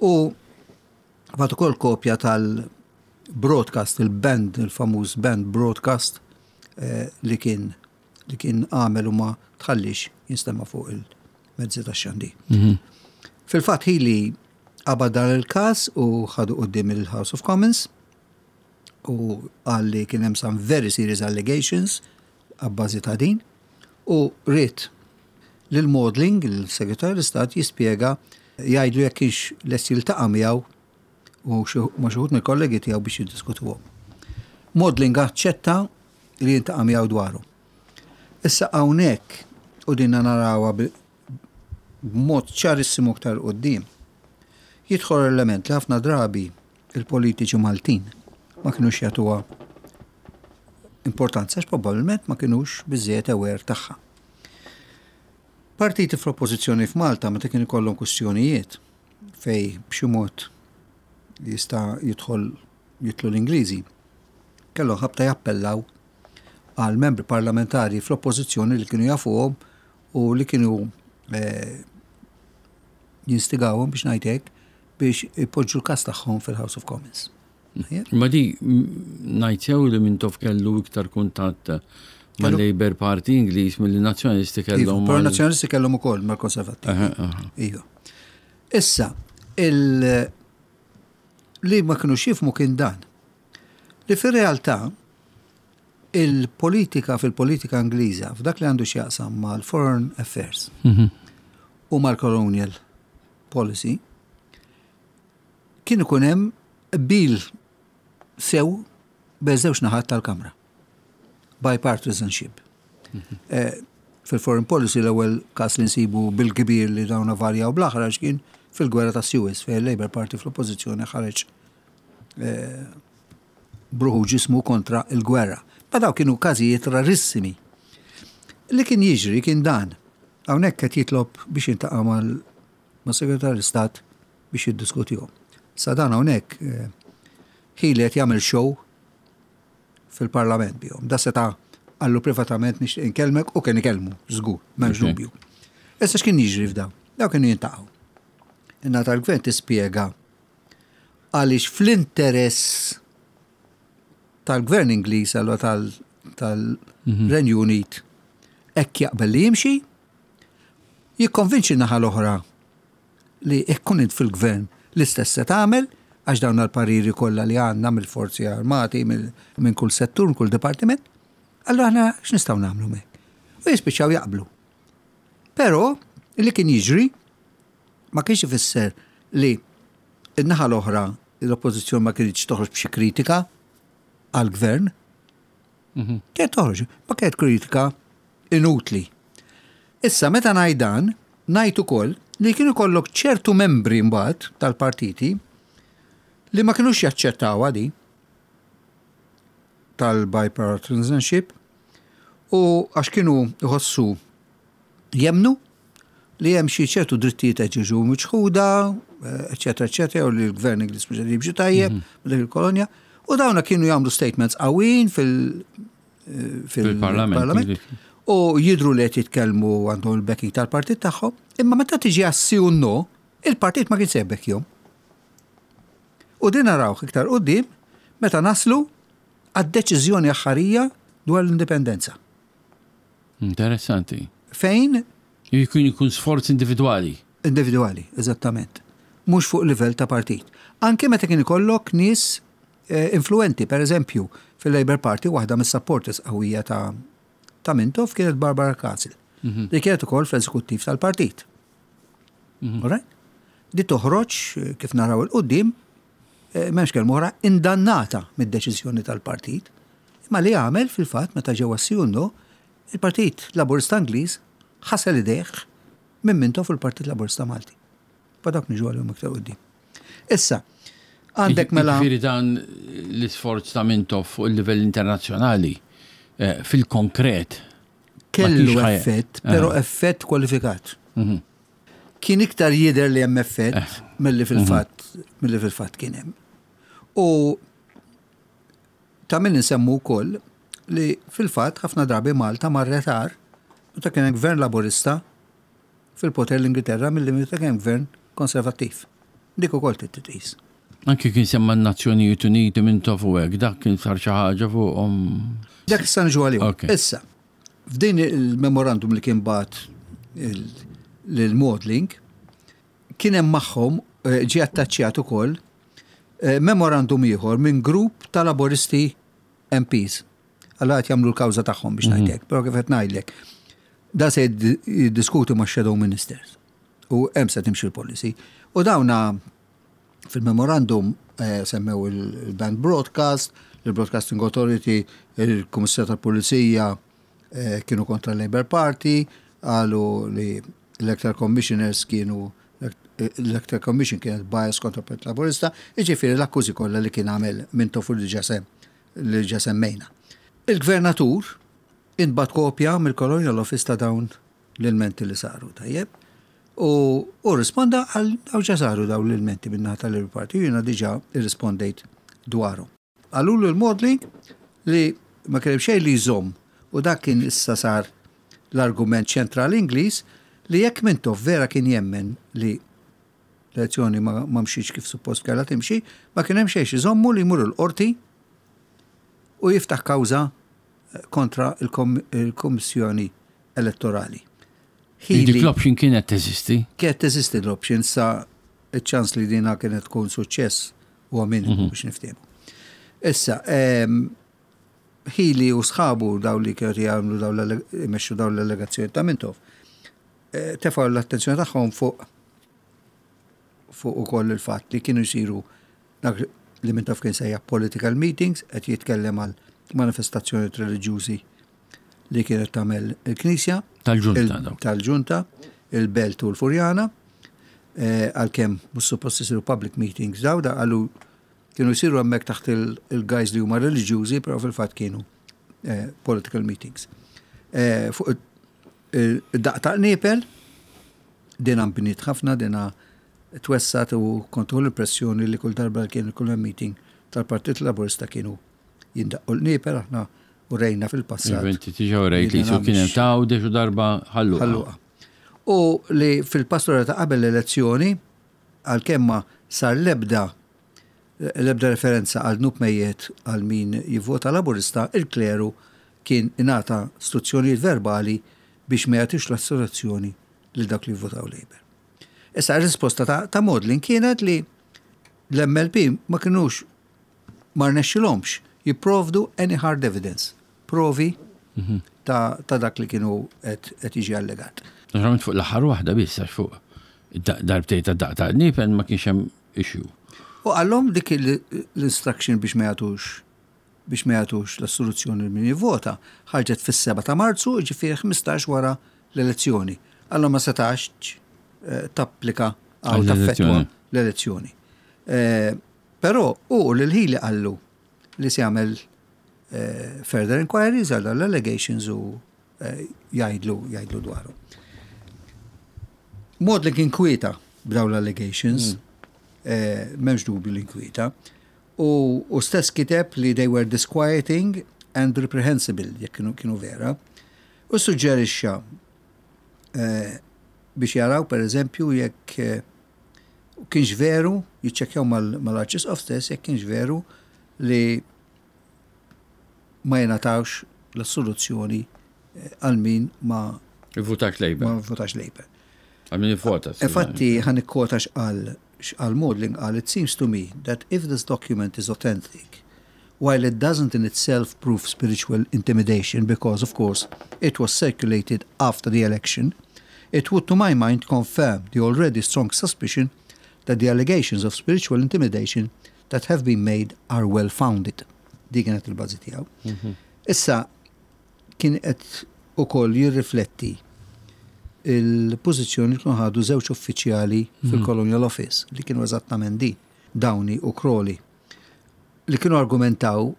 u bagħat ukoll kopja tal-broadcast, il-banned, il-famuż banned broadcast eh, li kien li kien għamel u ma tħallix jinstema' fuq il-mezzi ta' xandir. Mhm. Fil-fatt Healey qabad dan il-każ u ħadu quddiem il-House of Commons u qal li kien hemm some very serious allegations abbażi ta' din u ried lil Maudling, il-Segretarju l-Istat, jispjega, jgħidlu jekk kienx lest jiltaqa' miegħu u xi- ma' xi wħud mill-kollegi tiegħu biex jiddiskutuhom. Maudling aċċetta li jiltaqa' miegħu dwaru. Issa hawnhekk, u dinna narawha bi- b'mod ċarissimu aktar quddiem, jidħol element li ħafna drabi il-politiċi Maltin ma kinux jagħtuha importanza għax probabbilment ma kinux biżżejjed aware tagħha. Partiti fl-oppożizzjoni f'Malta, meta kien ikollhom kwistjonijiet fej b'xi mod jista' jidħol jidħlu l-Ingliżi, kellhom ħabta jappellaw għal membri parlamentari fl-oppożizzjoni li kienu jafuhom u li kienu eh, jinstigawhom, biex ngħidlek, biex ipoġġu l-każ tagħhom fil-House of Commons. Ma di ngħid sew li Mintoff kellu iktar kuntatt mal-Labour Party Ingliż mill nazzjonalisti kellhom? Iva, però nazzjonalisti kellhom ukoll mal-Konservattivi. Aha, aha. Iva. Issa, il li ma kienu jifhmu kien dan. Li fir-realtà il-politika fil-politika Ingliża f'dak li għandu x'jaqsam mal-foreign affairs Mhm. u mal-colonial policy kien ikun hemm qbil sew bejn żewġ naħat tal-Kamra. Bipartisanship. Eh, Fil-foreign policy l-ewwel każ li nsibu bil-kbir li dawna varjaw bl-aħrax kien fil-gwerra ta' Suez, fejn il-Labour Party fl-oppożizzjoni ħareġ eh, b'ruħu ġismu kontra il-gwerra. Ma daw kienu każijiet rarissimi. Li kien jiġri kien dan. Hawnhekk qed jitlob biex jiltaqa' mal-Segretarju Stat biex jiddiskutihom. Sa dan hawnhekk eh, Healey qed jagħmel show fil-parlament bihom. Da seta' qallu privatament, "Nixtieq inkellmek", u kien ikellmu, żgur, m'hemmx dubju. Issa, x'kien jiġri f'daw? Daw kienu jiltaqgħu. In-naħa tal-gvern tispjega għaliex fl-interess tal-gvern Ingliż, allura tal-Renju Unit, hekk jaqbel li jimxi, jikkonvinċi naħa l-oħra li ikkun int fil-gvern l-istess se tagħmel, għax dawn l-pariri kollha li għandna mill-forzi armati, minn kull settur, minn kull dipartiment, allura aħna x'nistgħu nagħmlu mek? U jispiċċaw jaqblu. Però li kien jiġri ma kienx ifisser li n-naħa l-oħra, l-oppożizzjoni, ma kienx toħroġ b'xi kritika għal-gvern. Mhm. Kienet toħroġ, ma kienet kritika inutli. Issa, meta ngħid dan, ngħid ukoll li kienu kollok ċertu membri mbagħad tal-partiti li ma kinux jaċċettaw di tal-bipartisanship u għax kienu jħossu, jemmnu li hemm xi ċertu drittijiet qed jiġu miċħuda, eċetera, eċetera, u li l-gvern Ingliż mhux qed jimxi tajjeb mhm. dik il-kolonja. U dawna kienu jagħmlu statements qawwin fil- fil-parlament. U jidru li qed jitkellmu, għandhom il-backing tal-partit tagħhom, imma meta tiġi għas-sì u no, il-partit ma kien se jbekkjhom. U din narawh iktar quddiem meta naslu għad-deċiżjoni aħħarija dwar l-indipendenza. Interessanti. Fejn Jkun jkun sforz individwali. Individwali, eżattament. Mhux fuq livell ta' partit. Anke meta kien ikollok nies eh, influenti, per eżempju, fil-Labour Party, waħda mis-supporters qawwija ta' ta' Mintoff kienet Barbara Castle, mhm. li kienet ukoll fl-eżekuttiv tal-partit. Mm -hmm. Di toħroġ, eh, kif naraw 'il quddiem, eh, m'hemmx kelma oħra, indannata mid-deċiżjoni tal-partit. Imma li għamel fil-fatt meta ġewwa Sjunno, il-Partit Laburista Ingliż ħasel idejh minn Mintoff fil-Partit Laburista Malti. Pa dak niġu għalihom iktar quddiem. Issa, għandek mela. Ġifieri dan l-isforz ta' Mintoff fuq il-livell internazzjonali eh, fil-konkret kellu effett, però eh. effett kwalifikat. Mhm. Kien iktar jidher li hemm effett eh. milli fil-fatt milli fil-fatt kien hemm. U ta' min nsemmu wkoll li fil-fatt ħafna drabi Malta marret agħar meta kien hemm gvern Laburista fil-poter l-Ingilterra milli meta kien gvern Konservattiv. Dik ukoll titqis. Anki kien semma n-Nazzjonijiet Uniti minn u hekk, dak kien sar xi ħaġa fuqhom. Dak issa niġu għalihom. Issa, f'din il-memorandum li kien bagħat lil Maudling, kien hemm magħhom eh, ġie attaċċjat ukoll eh, memorandum ieħor minn grupp ta' Laboristi M Ps. Alla qed jagħmlu l-kawża tagħhom biex mhm. ngħidlek, però kif qed ngħidlek, da se jiddiskutu ma' shadow ministers u hemm se timxi l-policy. U dawna fil-memorandum eh, semmew il-Banned Broadcast, il-Broadcasting Authority, il-Kummissar tal-Pulizija eh, kienu kontra l-Labour Party, qalu li Electoral Commissioners kienu, l-Electoral Commission kienet bias kontra Partit Laburista, jiġifieri l-akkużi kollha li kien għamel Mintoff li ġa li ġa semmejna. Il-gvernatur intbagħat kopja mill-Colonial Office ta' dawn l-ilmenti li saru, tajjeb. U, u risponda għal daw ġa saru daw l-ilmenti min-naħa tal-Labour Party, jiena diġà irrispondejt dwaru. Qallu l-Maudling li ma kien xejn li jżomm, u dak kien issa sar l-argument ċentrali Ingliż, li jekk Mintoff vera kien jemmen li l-elezzjoni ma, ma mxiex kif suppost kellha timxi, ma kien hemm xejn iżommu li jmur il-qorti u jiftaħ kawża kontra il-Kommissjoni Elettorali. Dik l-option kienet teżisti? Kienet teżisti l-option, sa ċans li dina kienet tkun suċċess u minimu mhm. biex niftehmu. Issa, Healey u sħabu, daw li kienu jagħmlu daw imexxu daw l-allegazzjoni ta' Mintoff, eh, tefgħu l-attenzjoni tagħhom fuq fuq ukoll il-fatt li kienu jsiru dak li Mintoff kien sejjaħ political meetings, qed jitkellem għal manifestazzjoni reliġjużi li kienet tagħmel il-Knisja. Tal-ġunta. Tal-ġunta, il-Belt u l-Furjana, eh, għalkemm mhux suppost isiru public meetings daw, da qalu kienu jsiru hemmhekk taħt il-guise li huma reliġjużi, però fil-fatt kienu eh, political meetings. Eh, fuq Id-daqq ta' qniepel, dina nbniet ħafna, dina twessgħet u kontu l-impressjoni li kull darba kien kull meeting tal-Partit Laburista kienu jindaqqu l-qniepel, aħna u rejna fil-passat. Inti diġà rejt li su kien hemm ta' u darba Ħal Luqa. U li fil-pastora ta' qabel l-elezzjoni, għalkemm ma sar lebda l-ebda referenza għal dnub mejjet għal min jivvota Laburista, il-kleru kien ingħata istruzzjonijiet verbali biex ma jagħtix l-assoluzzjoni lil dak li jivvotaw Labour. Issa r-risposta ta', ta Maudling kienet li l-M L P ma kienux, ma rnexxilhomx jipprovdu any hard evidence, provi mhm. ta', ta dak li kienu qed jiġi allegat. Naturalment fuq l-aħħar waħda biss, għax fuq darbtejn ta' daqq ta' qniepen ma kienx hemm issue. U għallhom dik l-instruction biex ma jagħtux biex ma jagħtux l-assoluzzjoni min jivvota ħarġet fis-seba ta' Marzu, ġifieri ħmistax wara l-elezzjoni. Għallhom ma setax eh, tapplika għaw taffettwa l-elezzjoni. Eh, però u l-ħili qallu li se jagħmel eh, further inquiries għal l-allegations u jgħidlu jgħidlu dwaru. Maudling kien kwieta b'daw l-allegations, mm. M'hemmx dubju li kwieta. U, u stess kiteb li they were disquieting and reprehensible, jekk kienu, kienu vera. U suġġerixxa eh, biex jaraw, per eżempju, jekk eh, kienx veru, jiċċekkjaw mal-Arċisqof stess, jekk kienx veru li ma jingħatawx l-assoluzzjoni eh, għal min ma votax Labour. Ma votax Labour. Għal min vota. Infatti, ħa nikkwota x'qal x'qal Maudling. Qal, "It seems to me that if this document is authentic, while it doesn't in itself prove spiritual intimidation because, of course, it was circulated after the election, it would, to my mind, confirm the already strong suspicion that the allegations of spiritual intimidation that have been made are well founded." Di kienet il-bażi tiegħu. Mhm. Issa kien qed ukoll jirrifletti il-pożizzjoni li kienu ħadu żewġ uffiċjali mhm. fil-Colonial Office, li kienu eżattament di, Downey u Crawley, li kienu argumentaw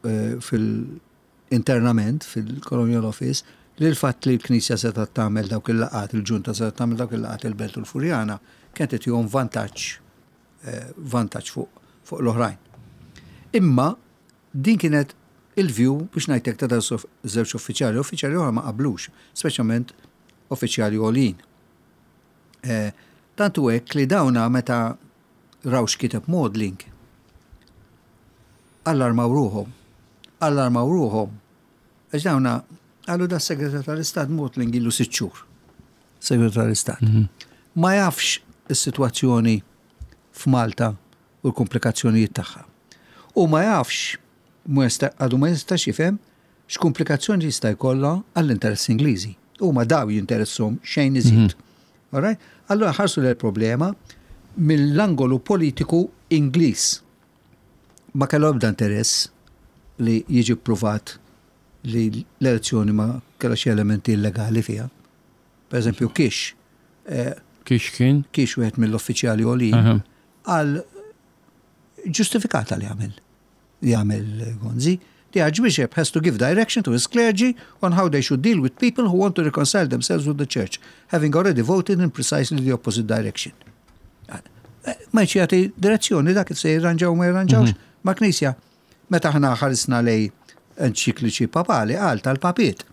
eh, fil-internament fil-Colonial Office li l-fatt li l-Knisja setgħet tagħmel dawk il-laqgħat, il-ġunta setgħet tagħmel dawk il-laqgħat il-Belt u l-Furjana, kienet tihom vantaġġ eh, vantaġġ fuq fuq l-oħrajn. Imma din kienet il-view, biex ngħidlek, ta' żewġ uffiċjali, uffiċjali oħra ma qablux, speċjalment uffiċjali għolin. Eh, tantu hekk li dawna meta raw x'kiteb Maudling, allarmaw ruħhom. Allarmaw ruħhom. Għax dawna qalu, da segretar tal-Istat Maudling ilu sitt xhur. Segretar tal-Istat. Mhm. Ma jafx is-sitwazzjoni f'Malta u l-komplikazzjonijiet tagħha. U ma jafx, għadu ma jistax jifhem x'komplikazzjoni jista' jkollha għall-interess Ingliżi. Huma daw jinteresshom xejn iżid. Mhm. Alright? Allora ħarsu l-problema mill-angolu politiku Ingliż. Ma kellu ebda interess li jiġi pruvat li l-elezzjoni ma kellha xi elementi illegali fiha. Per eżempju, Kish. Eh, Kish kien? Kish wieħed mill-uffiċjali għolin għal ġustifikata li għamel li għamel Gonzi. "The Archbishop has to give direction to his clergy on how they should deal with people who want to reconcile themselves with the church, having already voted in precisely the opposite direction." Ma jagħti direzzjoni dak kif se jirranġaw ma jirranġawx mhm. ma' knisja. Meta aħna ħarisna lejn enċikliċi papali, għal tal-papiet.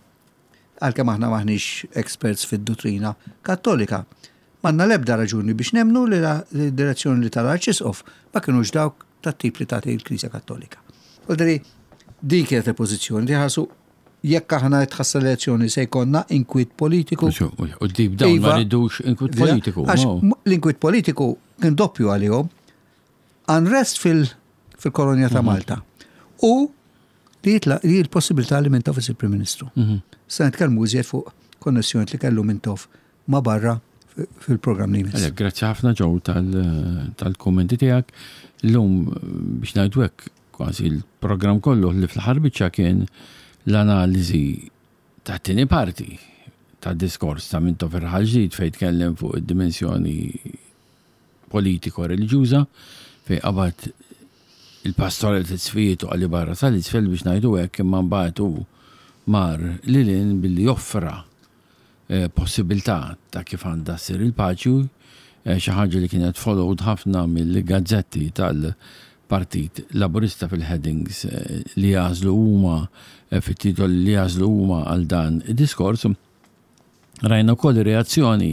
Għalkemm aħna maħniex experts fid-dottrina Kattolika, m'għandna lebda raġuni biex nemnu li l-direzzjoni li tal-Arċisqof ma kienux dawk tat-tip li tagħti l-Knisja Kattolika. Vuoldiri, din kienet il-pożizzjoni li ħarsu, jekk aħna tħassar l-elezzjoni se jkollna inkwiet politiku. U dib dawn ma iva, ridux inkwiet politiku. L-inkwiet politiku kien doppju għalihom. Unrest fil-kolonja ta' mhm. Malta. U li jitla li l-possibilità li Mintoff isir Prim Ministru. Mhm. Se nitkellmu iżjed fuq konnessjoni li kellu Mintoff ma' barra fil-programm li jmiss. Grazzi ħafna, Joe, tal-kommenti tiegħek. Illum, biex ngħidu hekk, kważi l-programm kollu li fl-aħħar biċċa kien l-analiżi ta' tieni parti ta' diskors ta' Mintoff Raħal Ġdid, fejn tkellem fuq id-dimensjoni politiko-reliġjuża, fejn qabad il-pastoral t-sfijiet u għalli barra tal-isfel, biex ngħidu hekk, imma mbagħad hu mar lilin billi joffra eh, possibilità ta' kif għandha ssir il-paċi, eh, xi ħaġa li kienet followed ħafna mill-gazzetti tal-Partit Laburista fil-headings eh, li jagħżlu huma, fit-titoli li jagħżlu huma għal dan id-diskors. Rajna wkoll reazzjoni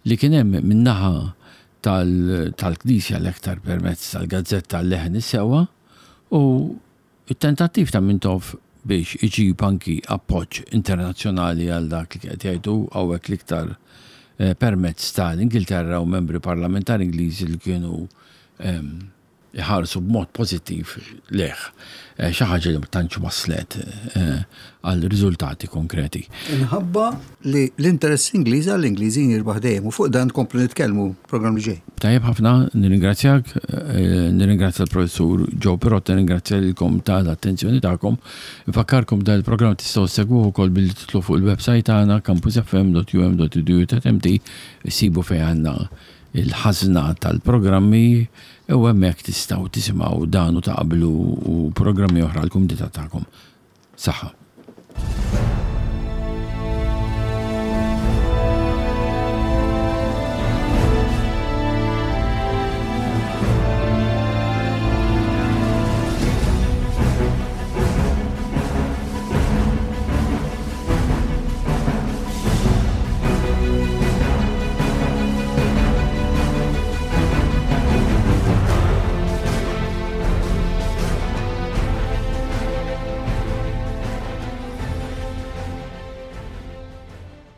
li kien hemm min-naħa tal-Knisja, l-aktar permezz tal-gazzetta Leħen is-Sewwa, u it-tentattiv ta' Mintoff biex iġib anki appoġġ internazzjonali għal dak li qed jgħidu, hawnhekk l-iktar eh, permezz tal-Ingilterra u membri parlamentari Ingliżi li kienu ehm, iħarsu b'mod pożittiv lejh. Eh, xi ħaġa li ma tantx waslet eh, għal riżultati konkreti. Inħabba li l-interess Ingliż għall-Ingliżi jirbaħ dejjem, u fuq dan nkomplu nitkellmu programm li ġej. Tajjeb ħafna, nirringrazzjak, eh, nirringrazzja l-professur Joe Pirotta, nirringrazzja lilkom tal-attenzjoni tagħkom. Infakkarkom, dan il-programm tistgħu ssegwuh ukoll billi titlu fuq il-website tagħna campusfm punt U M punt edu punt M T, issibu fejn għandna il-ħażna tal-programmi u hemmhekk tistgħu tisimgħu dan u ta' qablu u programmi oħra l-kumdità tagħkom. Saħħa.